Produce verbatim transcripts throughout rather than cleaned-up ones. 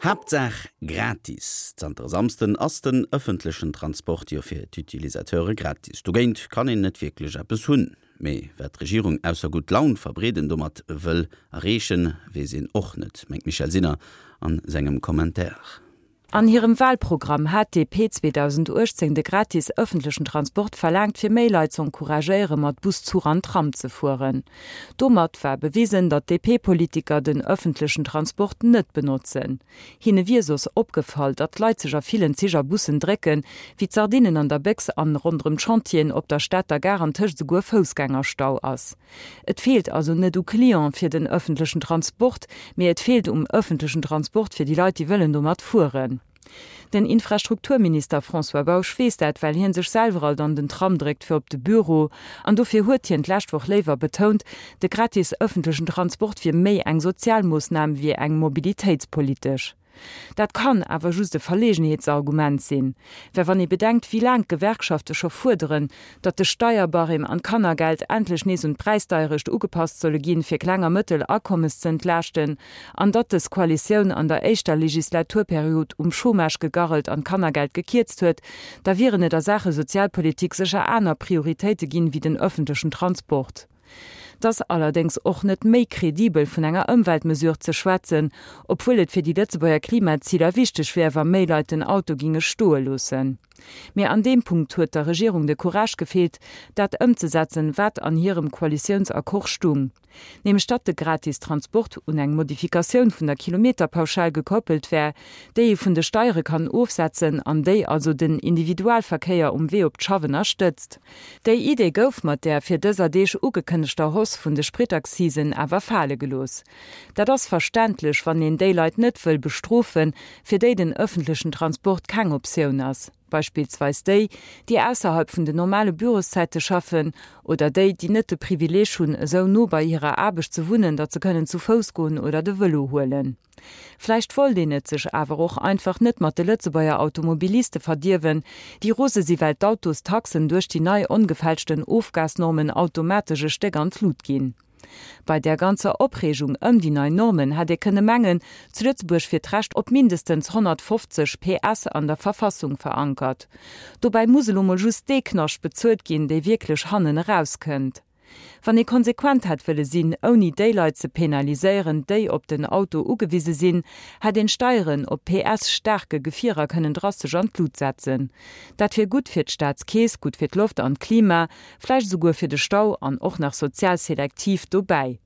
Haaptsaach gratis! Zanter e Samsden ass den ëffentlechen Transport jo fir d'Utilisateure gratis. Dogéint kann een net wierklech eppes hunn. Mee wat d'Regierung ausser gutt Laun verbreeden domat wëll erreechen, weess een och net, mengt d'Michèle Sinner a sengem Commentaire. An hirem Walprogramm hat d'DP zweedausenduechtzéng de gratis ëffentlechen Transport verlaangt, fir méi Leit z'encouragéiere mat Bus, Zuch an Tram ze fueren. Domat war bewisen, datt d'DP-Politiker den ëffentlechen Transport net benotzen. Hinne wier soss opgefall, datt d'Leit sech a villen Zich a Bussen drécken, wéi d'Sardinen an der Béchs an ronderëm d'Chantieren op der Stater Gare antëscht esouguer Foussgängerstau ass. Et feelt also net u Cliente fir den ëffentlechen Transport, mee et feelt um ëffentlechen Transport fir déi Leit, déi wëllen domat fueren. Den Infrastrukturminister François Bausch weess dat, well hien sech selwer alt an den Tram dréckt fir op de Büro. An dofir huet hien d'lescht Woch léiwer betount, de gratis ëffentlechen Transport wier méi eng sozial Moossnam wéi eng mobilitéitspolitesch. Dat kann awer just e Verlegenheetsargument sinn, well wann ee bedenkt, wéi laang d'Gewerkschafte scho fuerderen, datt de Steierbarème an d'Kannergeld endlech nees un d'Präisdeierecht ugepasst solle ginn, fir kleng a mëttel Akommes ze entlaaschten, an datt dës Koalitioun an der éischter Legislaturperiod um Chômage gegarrelt an d'Kannergeld gekierzt huet, da wieren et a Saache Sozialpolitik sécher aner Prioritéite ginn, wéi den ëffentlechen Transport. 't ass allerdéngs och net méi kredibel vun enger Ëmweltmesure ze schwätzen, obwuel et fir déi Lëtzebuerger Klimaziler wichteg wär, wa méi Leit den Auto ginge stoe loossen. Mee an deem Punkt huet der Regierung de Courage gefeelt, dat ëmzesetzen, wat an hirem Koalitiounsaccord stung, nämlech datt de gratis Transport un eng Modifikatioun vun der Kilometerpauschal gekoppelt wär, déi ee vun de Steiere kann ofsetzen an déi also den Individualverkéier um Wee op d'Schaff ënnerstëtzt. Déi Idee gouf mat där fir dëser Deeg ugekënnegter Hausse vun de Spritaccisen awer fale gelooss. Dat ass verständlech, wann een déi Leit net wëll bestrofen, fir déi den ëffentlechen Transport keng Optioun ass, beispillsweis déi, déi ausserhalb vun den normale Büroszäite schaffen oder déi, déi net de Privileeg hunn, esou no bei hirer Aarbecht ze wunnen, datt se kënnen zu Fouss goen oder de Vëlo huelen. Vläicht wollt een et sech awer och einfach net mat de Lëtzebuerger Automobiliste verdierwen, déi rose si well d'Autostaxen duerch déi nei ongefälschten Ofgasnormen automatesch e Stéck an d'Lut ginn. Bei där ganzer Opreegung ëm déi nei Normen hätt ee kënne mengen, zu Lëtzebuerg wier d'Recht op mindestens honnertfofzeg P S an der Verfassung verankert. Dobäi muss elo mol just dee Knascht bezuelt ginn, dee wierklech hannen erauskënnt. Wann ee konsequent hätt wëlle sinn, ouni déi Leit ze penaliséieren, déi op den Auto ugewise sinn, hätt een d'Steieren op P S staarke Gefierer kënnen drastesch an d'Lut setzen. Dat wier gutt fir d'Staatskeess, gutt fir d'Loft an d'Klima, vläicht esouguer fir de Stau an och nach sozial selektiv dobäi.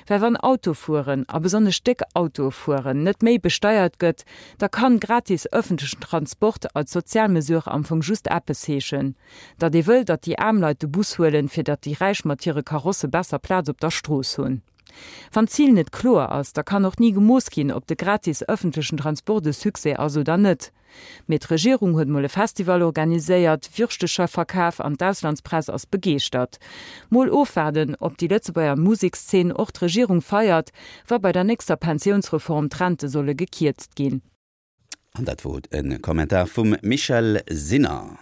Well wann Autofueren, a besonnesch déck Autoe fueren, net méi besteiert gëtt, da kann gratis ëffentlechen Transport als sozial Mesure am Fong just eppes heeschen, datt ee wëll, datt déi aarm Leit de Bus huelen, fir datt déi Räich mat hire Karosse besser Plaz op der Strooss hunn. Wann d'Zil net kloer ass, da kann och ni gemooss ginn, ob de gratis ëffentlechen Transport e Succès ass oder net. Mee d'Regierung huet mol e Festival organiséiert, Würschtecher verkaf an d'Auslandspress ass begeeschtert. Mol ofwaarden, ob déi Lëtzebuerger Musekszeen och d'Regierung feiert, wa bei der nächster Pensiounsreform d'Rente solle gekierzt ginn. An dat wor e Kommentar vum Michèle Sinner.